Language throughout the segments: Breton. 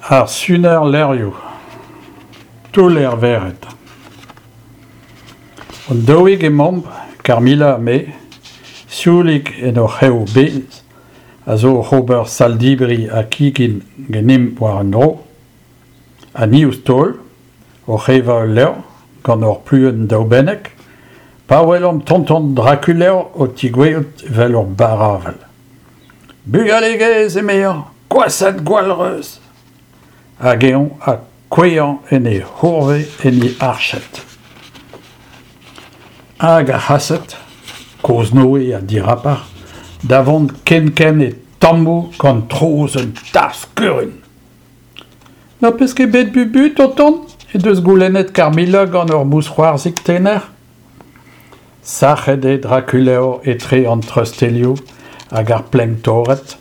Ar suner levrioù, toull er vered. Hon daouig emaomp, Carmilla ha me, sioulik en hor c'hev bez, a zo oc'h ober sal-debriñ ha kegin ganimp war un dro. Ha ni ouzh taol, oc'h evañ ul levr gant hor pluenn daoubennek, pa welomp tonton Drakulevr o tigouezhout evel ur barr-avel. Bugale gaezh, emezañ, gwashat gwallreuz ! Hag eñ ha kouezhañ en e c'hourvez en e arched. Hag ar c'hased, kozh-Noe ha dirapar, da vont ken-ken e tammoù gant trouz un tarzh-kurun. N'ho peus ket bet Bubu, tonton ? he deus goulennet Carmilla gant ur mousc'hoarzhig tener. Sac'het eo Drakulevr etre an treustelioù hag ar plenk torret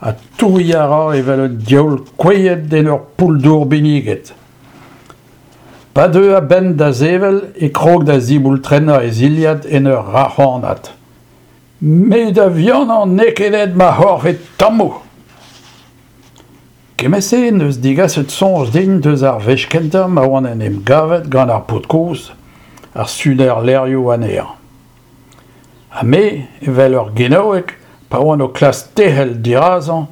ha touiñ a ra evel un diaoul kouezhet en ur poull-dour binniget. Pa deu a-benn da sevel e krog da ziboultrennañ e zilhad en ur rac'hanat. Me da vihanañ n'eo ket aet ma c'horf e tammoù ! Kement-se en deus degaset soñj din deus ar wech kentañ ma oan en em gavet gant ar paotr kozh, ar suner levrioù anezhañ. Ha me, evel ur genaoueg, pa oan o klask tec'hel dirazañ,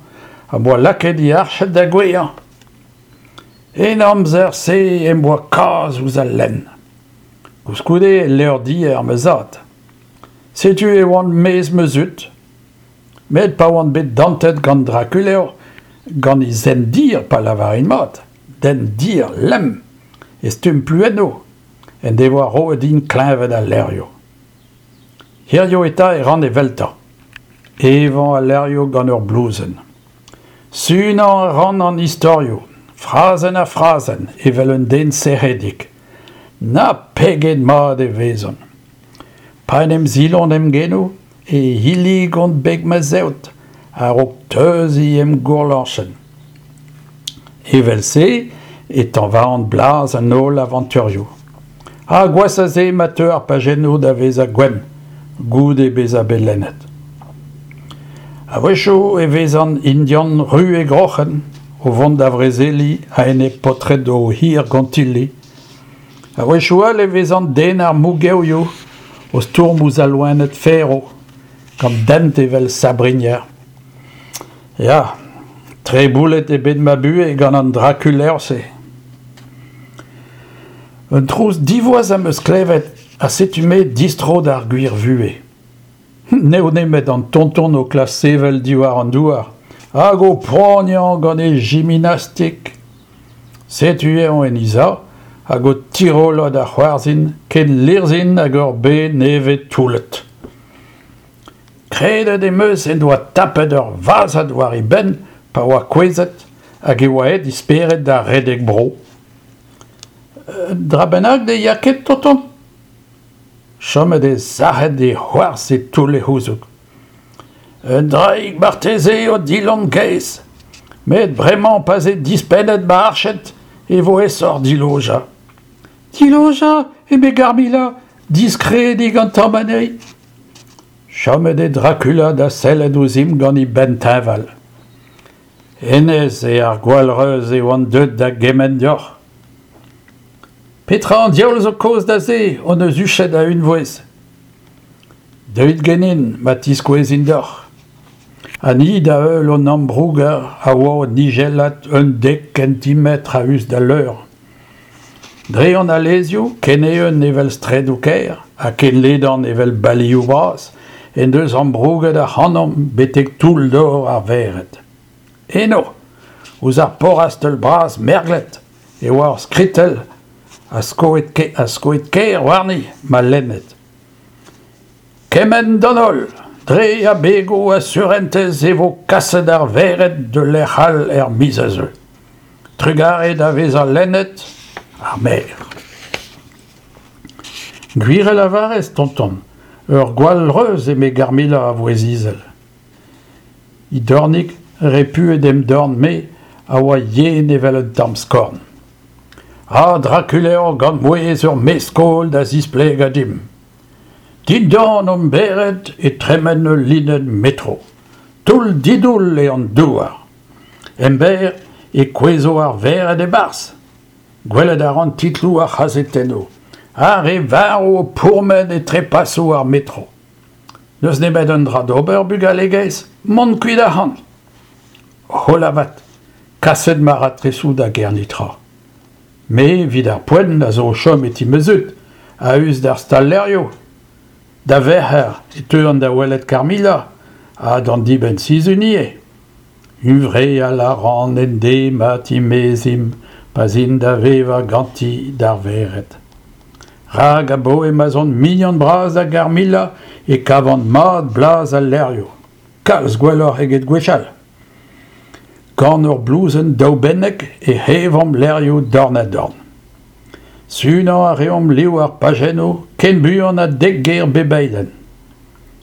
am boa lakaet e arched da gouezhañ. En amzer-se em boa kaz ouzh al lenn. Koulskoude e levrdier ma zad. Setu e oan maez ma zud. Met pa oan bet dantet gant Drakulevr, gant e zent dir pa lavarin mat, dent dir lemm, e stumm pluennoù, en devoa roet din kleñved al levrioù. Hiziv eta e ran eveltañ, evañ al levrioù gant ur blouzenn. Sunañ a ran an istorioù, frazenn ha frazenn, evel un den sec'hedik. Na pegen mat e vezont! Pa en em silont em genoù e hilligont beg ma zeod a-raok teuziñ em gourlañchenn. Evel-se e tañvaont blaz an holl avanturioù. Ha gwashoc'h a se ma teu ar pajennoù da vezañ gwenn goude bezañ bet lennet. A-wechoù e vezan Indian ru e groc'hen o vont da vrezeliñ a-enep paotred o hir gontilli. A-wechoù all e vezan den ar mougevioù o stourm ouzh al loened ferv, gant dent evel sabrinier. Ya, treboulet eo bet ma buhez gant an Drakulevr-se. Un trouz divoas am eus klevet ha setu-me distro d'ar gwir vuhez. N'eo nemet an tonton o klask sevel diwar an douar hag o poaniañ gant e jiminastik. Setu eñ en he sav hag o tirollañ da c'hoarzhin ken lirzhin hag ur bez nevez toullet. Kredet em eus en doa tapet ur vazhad war e benn pa oa kouezhet hag e oa aet e spered da redek bro. Un dra bennak ne ya ket, tonton ? Chomet eo sac'het e c'hoarzh e toull e c'houzoug. Un draig marteze eo Dilon kaezh, met bremañ pa'z eo dispennet ma arched e vo aesoc'h dilojañ. Dilojañ, eme Garmilla, diskredik an tamm anezhi. Chomet eo Dracula da sellet ouzhimp gant e benn teñval. Hennezh eo ar gwallreuz e oan deuet da gemenn deoc'h. Petra an diaoul zo kaoz da se hon eus huchet a-unvouezh ? Deuit ganin ma tiskouezin deoc'h. Ha ni da heul hon ambrouger a oa o nijellat un dek kentimetr a-us d'al leur. Dre an alezioù, ken eeun evel straedoù kêr ha ken ledan evel balioù bras, en deus ambrouget ac'hanomp betek toull-dor ar vered. Eno, ouzh ar porrastell bras merglet, e oa ur skritell a skoed-kaer warni ma lenned. Kemenn d'an holl, dre abegoù a surentez e vo kaset ar vered d'ul lec'h all er miz a zeu. Trugarez da vezañ lennet ar maer. Gwir a lavarez, tonton, ur gwall reuz eme Garmilla a vouezh izel. He dornig, repuet em dorn-me, a oa yen evel un tamm skorn. Ha Drakulevr gant mouezh ur mestr-skol da zisplegañ dimp. Dindan hon bered e tremen ul linenn metro. Toull-didoull eo an douar. Emberr e kouezho ar vered e-barzh. Gwelet a ran titloù ar c'hazetennoù, ar re varv o pourmen e trepasoù ar metro. N'eus nemet un dra d'ober, bugale gaezh, mont kuit ac'hann. Hola 'vat, kaset ma raktresoù da Gernitra. Me, evit ar poent, a zo o chom e ti ma zud, a-us d'ar stal-levrioù. Da Verc'her e teuan da welet Carmilla, ha d'an dibenn-sizhun ivez. Huñvreal a ran en deiz ma timezimp pa'z in da vevañ ganti d'ar vered. Rak abaoe ma'z on mignon bras da Garmilla e kavan mat blaz al levrioù, kalz gwelloc'h eget gwechall. Gant ur blouzenn daoubennek ec'h evomp levrioù dorn-ha-dorn. Sunañ a reomp liv ar pajennoù ken buan ha dek ger bep eilenn.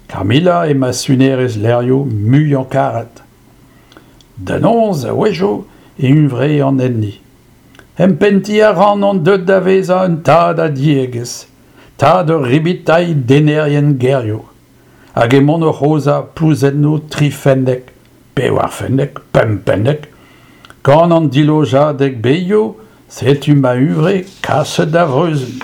Carmilla eo ma sunerez levrioù muiañ-karet. Da noz, a-wechoù, e huñvrean enni. Empentiñ a ran on deuet da vezañ un tad a diegezh, tad ur ribitailh dennerien gerioù. Hag emaon oc'h aozañ plouzennoù trifennek, pevarfennek, pempennek. Gant an dilojadeg bezioù, setu ma huñvre kaset da vreuzenn.